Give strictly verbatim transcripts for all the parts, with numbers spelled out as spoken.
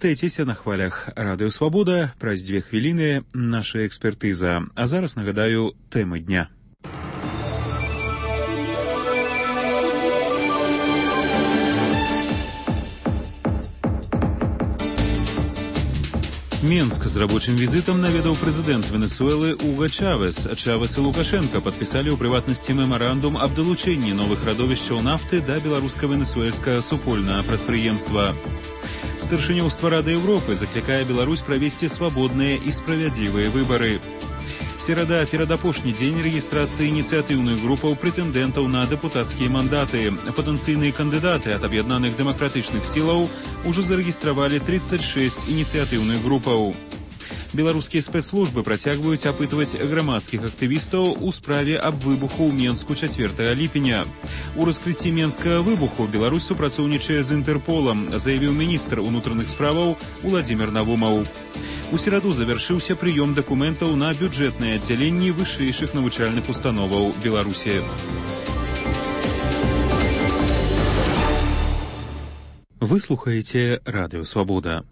Вяртайцеся на хвалях Радыё Свабода. Праз дзве хвіліны наша экспертыза. А зараз нагадаю тэмы дня. Менск з рабочым візітам наведаў прэзідэнт Венесуэлы Уго Чавес. Чавес і Лукашенко падпісалі ў прыватнасці мемарандум аб далучэнні новых радовішчаў нафты да беларуска-венесуэльскага супольнага прадпрыемства. Старшынёўства Рады Еўропы заклікае Беларусь правесці свабодныя і справядлівыя выбары. Серада перадапошні дзень рэгістрацыі ініцыятыўных групаў прэтэндэнтаў на дэпутацкія мандаты. Патэнцыйныя кандыдаты ад аб'яднаных дэмакратычных сілаў ужо зарэгістравалі тридцать шесть ініцыятыўных групаў. Беларускія спецслужбы працягваюць апытваць грамадскіх актывістаў у справе аб выбуху ў Менску чацвёртага ліпеня. У раскрыцці менскага выбуху Беларусь супрацоўнічае з Інтэрполам, заявіў міністр унутраных справаў Уладзімір Навумаў. У сераду завяршыўся прыём дакументаў на бюджэтныя аддзяленні вышэйшых навучальных установаў Беларусі. Вы слухаеце Радыё Свабода.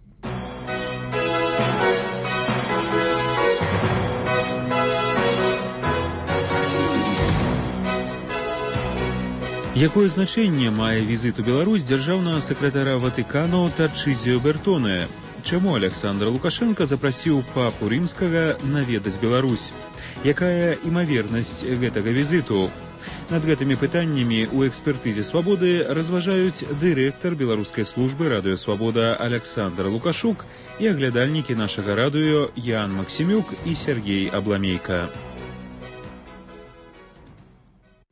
Якое значэнне мае візіт у Беларусь дзяржаўнага сакратара Ватыкану Тарчызіо Бертоне? Чаму Александр Лукашенко запрасіў папу рымскага наведаць Беларусь? Якая імавернасць гэтага візіту? Над гэтымі пытаннямі ў экспертызе Свабоды разважаюць дырэктар беларускай службы Радыё Свабода Александр Лукашук і аглядальнікі нашага радыё Ян Максімюк і Сергей Абламейка.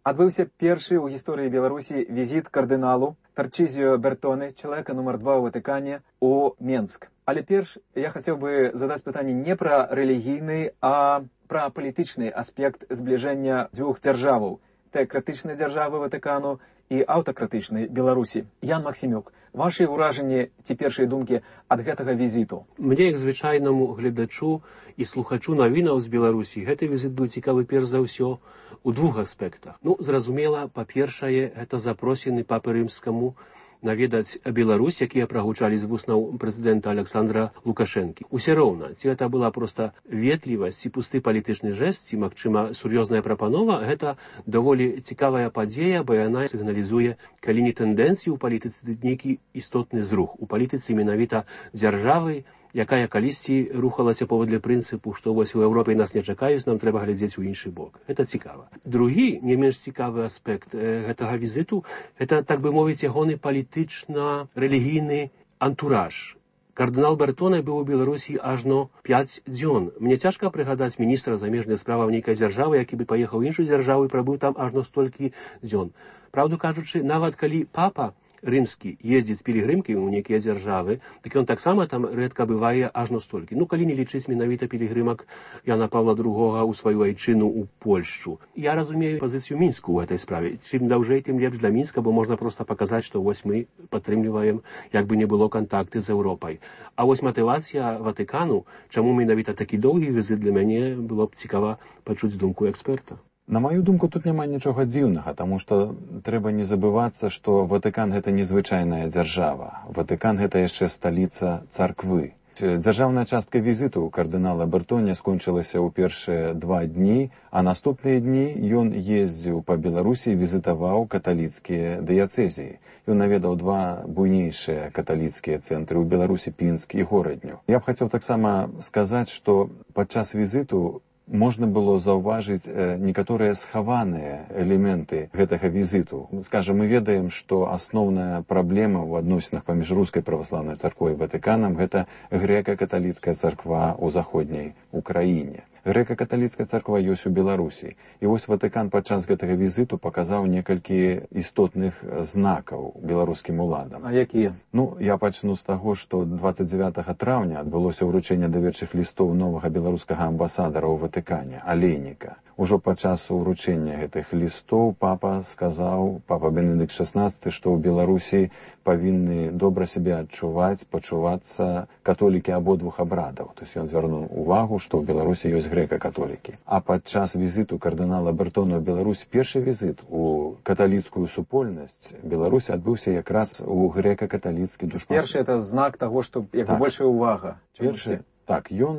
Адбыўся першы ў гісторыі Беларусі візіт кардыналу Тарчызіо Бертоне, чалавека нумар два ў Ватыкане, у Менск. Але перш я хацеў бы задаць пытанне не пра рэлігійны, а пра палітычны аспект збліжэння дзвюх дзяржаваў. Тэакратычнай дзяржавы Ватыкану і аўтакратычнай Беларусі. Ян Максімюк, вашы ўражанні ці першыя думкі ад гэтага візіту? Мне, як звычайнаму гледачу і слухачу навінаў з Беларусі, гэты візіт быў цікавы перш за ўсё у двух аспектах. Ну, зразумела, па-першае, гэта запросены папы рымскаму наведаць Беларусь, якія прагучалі з вуснаў прэзідэнта Александра Лукашэнкі. Усе роўна, ці гэта была проста ветлівасць, ці пусты палітычны жэст, ці, магчыма, сур'ёзная прапанова, гэта даволі цікавая падзея, бо яна сігналізуе, калі не тэндэнцыі ў палітыцы, нейкі істотны зрух. У палітыцы менавіта дзяржавы, якая калісьці рухалася паводле прынцыпу, што вось у Еўропе нас не чакаюць, нам трэба глядзець у іншы бок. Гэта цікава. Другі, не менш цікавы аспект э, гэтага візіту, гэта, так бы мовіць, ягоны палітычна-рэлігійны антураж. Кардынал Бертоне быў у Беларусі ажно пяць дзён. Мне цяжка прыгадаць міністра замежных справаў нейкай дзяржавы, які бы паехаў у іншую дзяржаву і прабыў там ажно столькі дзён. Праўду кажучы, нават калі папа рымскі ездзіць пілігрымкі ў нейкія дзяржавы, так ён таксама там рэдка бывае ажно столькі. Ну, калі не лічыць менавіта пілігрымак Яна Павла другога ў сваю айчыну ў Польшчу. Я разумею пазіцыю Мінску ў гэтай справе. Чым даўжэй, тым лепш для Мінска, бо можна проста паказаць, што вось мы падтрымліваем, як бы не было кантакты з Еўропай. А вось матывацыя Ватыкану, чаму менавіта такі доўгі візит, для мяне было б цікава пачуць думку эксперта. На маю думку, тут няма нічога дзіўнага, таму што трэба не забывацца, што Ватыкан – гэта незвычайная дзяржава. Ватыкан – гэта яшчэ сталіца царквы. Дзяржаўная частка візіту кардынала Бертоне скончылася ў першыя два дні, а наступныя дні ён ездзіў па Беларусі і візітаваў каталіцкія дыяцэзіі. Ён наведаў два буйнейшыя каталіцкія цэнтры ў Беларусі, Пінск і Горадню. Я б хацеў таксама сказаць, што падчас візіту можна было заўважыць некаторыя схаваныя элементы гэтага візіту. Скажам, мы ведаем, што асноўная праблема ў адносінах паміж рускай праваслаўнай царквой і Ватыканам – гэта грэка-каталіцкая царква ў заходняй Украіне. Грэка-каталіцкая царква ёсць у Беларусі. І вось Ватыкан падчас гэтага візіту паказаў некалькі істотных знакаў беларускім уладам. А якія? Ну, я пачну з таго, што дваццаць дзевятага траўня адбылося ўручэнне даверчых лістоў новага беларускага амбасадара ў Ватыкане, Алейніка. Ужо падчас уручэння гэтых лістоў папа сказаў, папа Бенедыкт шаснаццаты, што ў Беларусі павінны добра сябе адчуваць, пачувацца католікі абодвух абрадаў. То есть ён звярнуў увагу, што ў Беларусі ёсць грэка-католікі. А падчас візіту кардынала Бертона ў Беларусь, першы візіт у каталіцкую супольнасць Беларусі адбыўся якраз у грэка-каталіцкі душпастерство. Першы это знак таго, што як бы так. большая увага. Першы, так, ён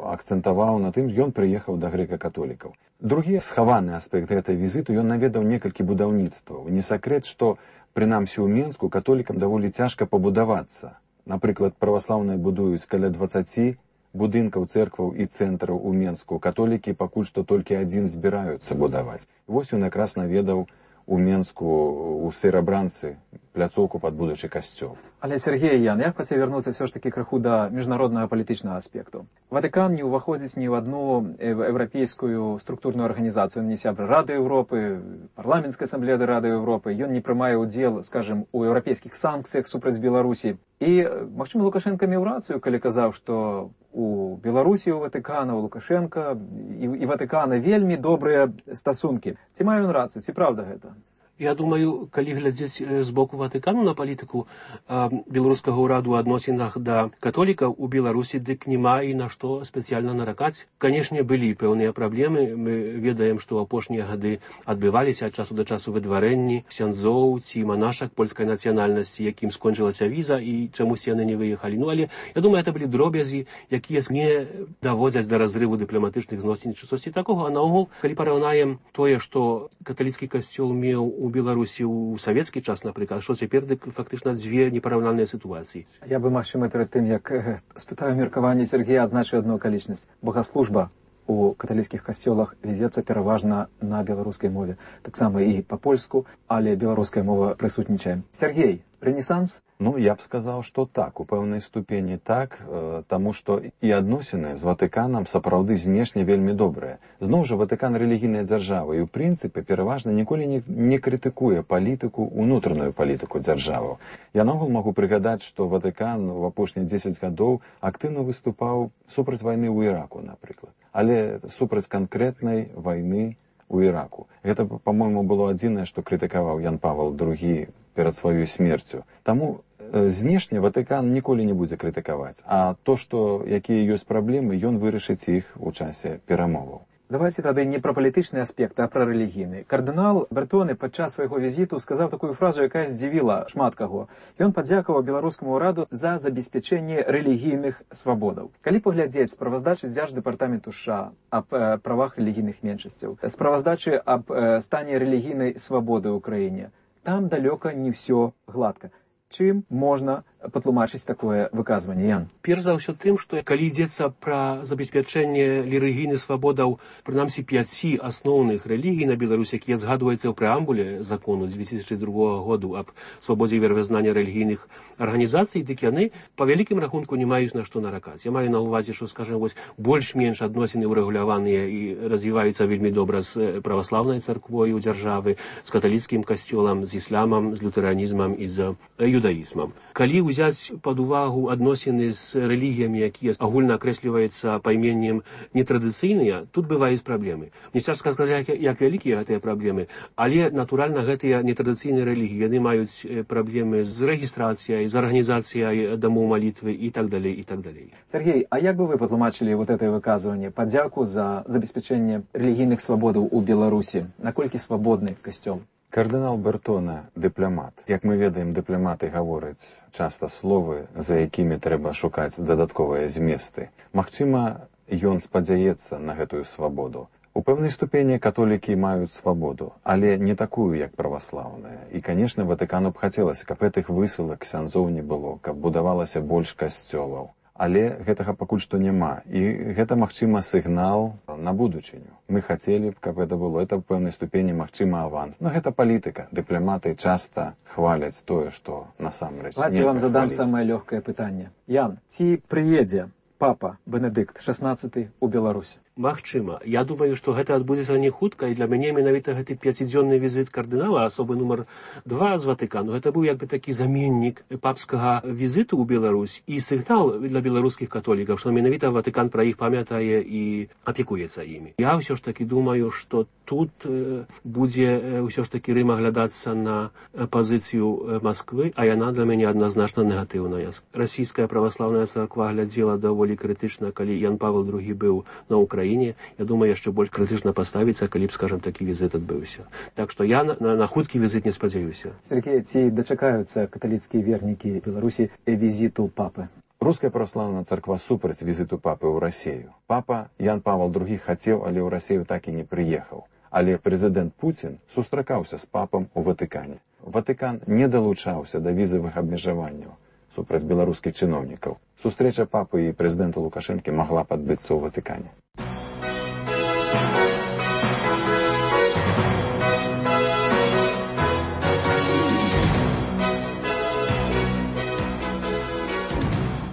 акцэнтаваў на тым, ён прыехаў да грэка-католікаў. Другі схаваны аспект гэтай візіту, ён наведаў некалькі будаўніцтваў. Не сакрэт, што прынамсі ў Менску католікам даволі цяжка пабудавацца. Напрыклад, праваслаўныя будуюць каля дваццаці будынкаў, цэркваў і цэнтраў у Менску. Католікі пакуль што толькі адзін збіраюцца будаваць. Вось ён якраз наведаў у Менску, у Серабранцы, пляцоўку пад будучы касцёл. Але, Сергей, Ян, я хацеў вярнуцца ўсё ж такі крыху да міжнароднага палітычнага аспекту. Ватыкан не ўваходзіць ні ў адну еўрапейскую структурную арганізацыю. Ён не сябра Рады Еўропы, парламенцкай асамблеі Рады Еўропы. Ён не прымае ўдзел, скажем, у еўрапейскіх санкцыях супраць Беларусі. І, магчыма, Лукашенка меў рацыю, калі казаў, што у Беларусі, у Ватыкана, у Лукашенка і, і Ватыкана вельмі добрыя стасункі. Ці мае ён рацыю? Ці правда гэта? Я думаю, калі глядзець з боку Ватыкану на палітыку э, беларускага ўраду ў адносінах да католікаў у Беларусі, дык няма і на што спецыяльна наракаць. Канешне, былі пэўныя праблемы. Мы ведаем, што ў апошнія гады адбываліся ад часу да часу выдварэнні ксяндзоў ці манашак польскай нацыянальнасці, якім скончылася віза і чамусь яны не выехалі. Ну, але я думаю, это былі дробязі, якія не даводзяць да разрыву дыпламатычных зносін ці часці такога. А наогул, калі параўнаем тое, што каталіцкі касцёл меў у Беларусі ў савецкі час, напрыклад, што цяпер дык фактычна дзве непараўнальныя сітуацыі. Я бы, магчыма, перад тым, як э, спытаю меркаванне Сергея, адзначыў адну акалічнасць. Богаслужба у каталіцкіх касцёлах вядзецца пераважна на беларускай мове. Таксама і па-польску, але беларуская мова прысутнічае. Сергей, рэнесанс? Ну, я б сказаў, што так, у пэўнай ступені так, э, таму што і адносіны з Ватыканам сапраўды знешне вельмі добрыя. Зноў жа, Ватыкан рэлігійная дзяржава і, ў прынцыпе, пераважна ніколі не, не крытыкуе палітыку, унутраную палітыку дзяржаваў. Я наогул магу прыгадаць, што Ватыкан у апошнія дзесяць гадоў актыўна выступаў супраць вайны ў Іраку, напрыклад. Але супраць канкрэтнай вайны ў Іраку. Гэта, па-мойму, было адзінае, што крытыкаваў Ян Павел другі перад сваёй смерцю. Таму э, знешне Ватыкан ніколі не будзе крытыкаваць. А то, што якія ёсць праблемы, ён вырашыць іх у часе перамоваў. Давайте тады не пра палітычны аспект, а пра рэлігійны. Кардынал Бертоны падчас свайго візіту сказаў такую фразу, якая здзівіла шмат каго. Ён падзякаваў беларускаму ўраду за забеспячэнне рэлігійных свабодаў. Калі паглядзець справаздачы дзярждэпартаменту США аб э, правах рэлігійных меншасцяў, справаздачы аб э, стане рэлігійнай свабоды ў краіне, там далёка не ўсё гладка. Чым можна патлумачыць такое выказванне, Ян? Перш за ўсё тым, што калі ідзецца пра забеспячэнне рэлігійных свабодаў, прынамсі пяці асноўных рэлігій на Беларусі, якія згадваюцца ў прэамбуле закону з две тысячы другога году аб свабодзе веравызнання рэлігійных арганізацый, дык яны па вялікім рахунку не маюць на што наракаць. Я маю на ўвазе, што, скажем, вось больш-менш адносіны ўрэгуляваныя і развіваюцца вельмі добра з праваслаўнай царквой у дзяржавы, з каталіцкім касцёлам, з ісламам, з лютэранізмам і з юдаізмам. Калі ўзяць пад увагу адносіны з рэлігіямі, якія агульна акрэсліваюцца пайменнем нетрадыцыйныя, тут бываюць праблемы. Мне цяжка сказаць, як вялікія гэтыя праблемы, але, натуральна, гэтыя нетрадыцыйныя рэлігіі, яны маюць праблемы з рэгістрацыяй, з арганізацыяй дамоў малітвы і так далей, і так далей. Сергей, а як бы вы патлумачылі вот это выказванне, падзяку за забеспячэнне рэлігійных свабодаў у Беларусі? Наколькі свабодны касцёл? Кардынал Бертона – дыпламат. Як мы ведаем, дыпламаты гавораць часта словы, за якімі трэба шукаць дадатковыя зместы. Магчыма, ён спадзяецца на гэтую свабоду. У пэўнай ступені католікі маюць свабоду, але не такую, як праваслаўная. І, канешне, Ватыкану б хацелася, каб гэтых высылак ксяндзоў не было, каб будавалася больш касцёлаў. Але гэтага пакуль што няма. І гэта, магчыма, сігнал на будучыню. Мы хацелі б, каб гэта было. Это ў пэўнай ступені, магчыма, аванс. Но гэта палітыка. Дыпламаты часта хваляць тое, што насамрэч. Давайте вам задам самае лёгкае пытанне. Ян, ці прыедзе папа Бенедыкт шаснаццаты ў Беларусь? Магчыма. Я думаю, што гэта адбудзецца не хутка, і для мяне менавіта гэты пяцідзённы візіт кардынала, асобы нумар два з Ватыкану, гэта быў як бы такі заменнік папскага візіту ў Беларусь і сігнал для беларускіх католікаў, што менавіта Ватыкан пра іх памятае і апекуецца імі. Я ўсё ж такі думаю, што тут э, будзе ўсё ж такі Рым аглядацца на пазіцыю Масквы, а яна для мяне адназначна негатыўная. Расійская праваслаўная царква глядзела даволі крытычна, калі Ян Павел другі быў на Украіне. Я думаю, яшчэ больш крытычна паставіцца, калі б, скажам, такі візит адбыўся. Так што я на, на, на хуткі візит не спадзяюся. Сергей, ці дачакаюцца каталіцкія вернікі Беларусі візіту папы? Руская праваслаўная царква супраць візіту папы ў Расію. Папа Ян Павел другі хацеў, але ў Расію так і не прыехаў. Але прэзідэнт Пуцін сустракаўся з папам у Ватыкане. Ватыкан не далучаўся да візавых абмежаванняў супраць беларускіх чыноўнікаў. Сустрэча папы і прэзідэнта Лукашэнкі магла падбыцца ў Ватыкане.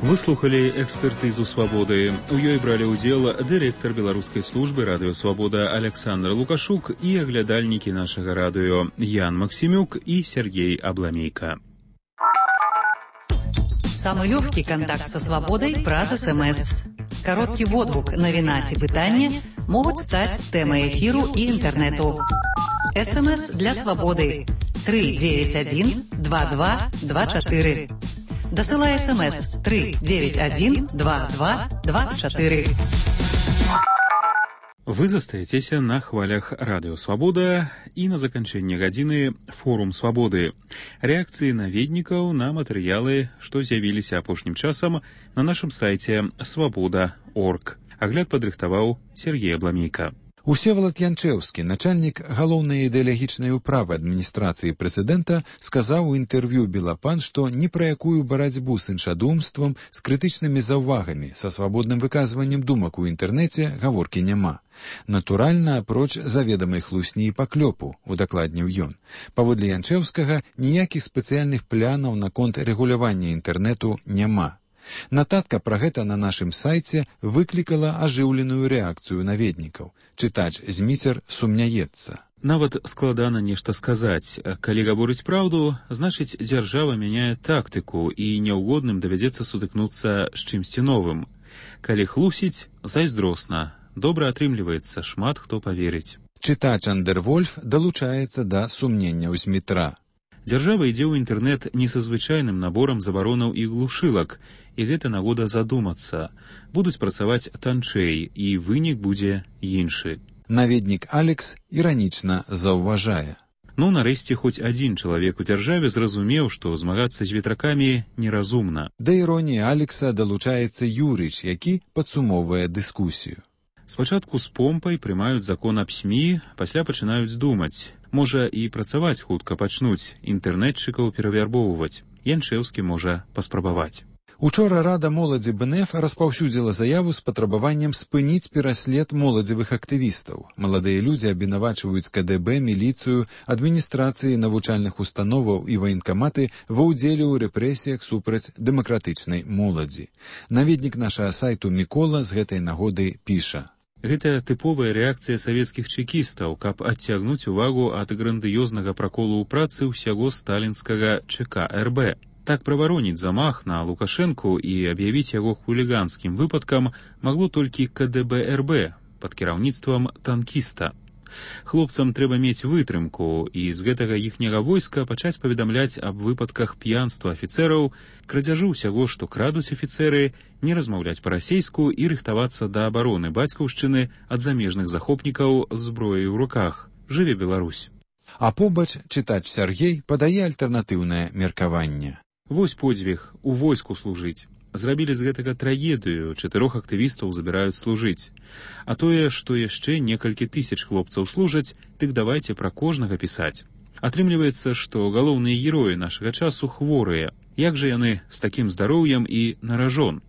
Выслухали экспертызу «Свободы». У ёй бралі ўдзел дырэктар беларускай службы радыё «Свобода» Александр Лукашук і аглядальнікі нашага радыё Ян Максимюк і Сергей Абламейка. Самый легкий контакт со «Свободой» праз СМС. Короткий водгук, навіна ці пытанне могуць стаць тэмай эфіру і інтэрнэту. СМС для «Свободы» три девять один два два два четыре. Дасылай СМС три девять один два два два четыре. Вы застаецеся на хвалях радыё «Свобода» і на заканчэнне гадзіны форум «Свободы». Рэакцыі наведнікаў на матэрыялы, што з'явіліся апошнім часам на нашым сайце свобода точка орг. Агляд падрыхтаваў Сергей Абламейка. Усевалад Янчэўскі, начальнік галоўнай ідэалагічнай управы адміністрацыі прэзідэнта, сказаў у інтэрв'ю «Белапан», што ні пра якую барацьбу з іншадумствам, з крытычнымі заўвагамі, са свабодным выказваннем думак у інтэрнэце гаворкі няма. Натуральна, апроч заведамай хлусні і паклёпу, удакладніў ён. Паводле Янчэўскага, ніякіх спецыяльных планаў наконт рэгулявання інтэрнэту няма. Нататка пра гэта на нашым сайце выклікала ажыўленую рэакцыю наведнікаў. Чытач Зміцер сумняецца. Нават складана нешта сказаць. Калі гаворыць праўду, значыць, дзяржава мяняе тактыку і няўгодным давядзецца сутыкнуцца з чымсьці новым. Калі хлусіць, зайздросна. Добра атрымліваецца, шмат хто паверыць. Чытач Андервольф далучаецца да сумненняў Змітра. Дзяржава ідзе ў інтэрнэт не са звычайным наборам забаронаў і глушылак, і гэта нагода задумацца. Будуць працаваць танчэй, і вынік будзе іншы. Наведнік Алекс іранічна заўважае. Ну, нарэшце, хоць адзін чалавек у дзяржаве зразумеў, што змагацца з ветракамі неразумна. Да іроніі Алекса далучаецца Юрыч, які падсумоўвае дыскусію. Спачатку з помпай прымаюць закон аб СМІ, пасля пачынаюць думаць. Можа, і працаваць хутка пачнуць, інтэрнэтчыкаў перавярбоўваць. Янчэўскі можа паспрабаваць. Учора Рада моладзі БНФ распаўсюдзіла заяву з патрабаваннем спыніць пераслед моладзевых актывістаў. Маладыя людзі абвінавачваюць КДБ, міліцыю, адміністрацыі навучальных установаў і ваенкаматы ва ўдзеле ў рэпрэсіях супраць дэмакратычнай моладзі. Наведнік нашага сайту Мікола з гэтай нагоды піша. Гэта тыповая рэакцыя савецкіх чэкістаў, каб адцягнуць увагу ад грандыёзнага праколу ў працы ўсяго сталінскага ЧК РБ. Так правароніць замах на Лукашэнку і аб'явіць яго хуліганскім выпадкам магло толькі КДБ РБ пад кіраўніцтвам танкіста. Хлопцам трэба мець вытрымку і з гэтага іхняга войска пачаць паведамляць аб выпадках п'янства афіцэраў, крадзяжы ўсяго, што крадуць афіцэры, не размаўляць па-расейску і рыхтавацца да абароны бацькаўшчыны ад замежных захопнікаў з зброяй у руках. Жыве Беларусь! А побач чытач Сергей падае альтэрнатыўнае меркаванне. Вось подзвіг, у войску служыць. Зрабілі з гэтага трагедыю, чатырох актывістаў забіраюць служыць. А тое, што яшчэ некалькі тысяч хлопцаў служаць, дык давайце пра кожнага пісаць. Атрымліваецца, што галоўныя героі нашага часу хворыя. Як жа яны з такім здароўем і на ражон?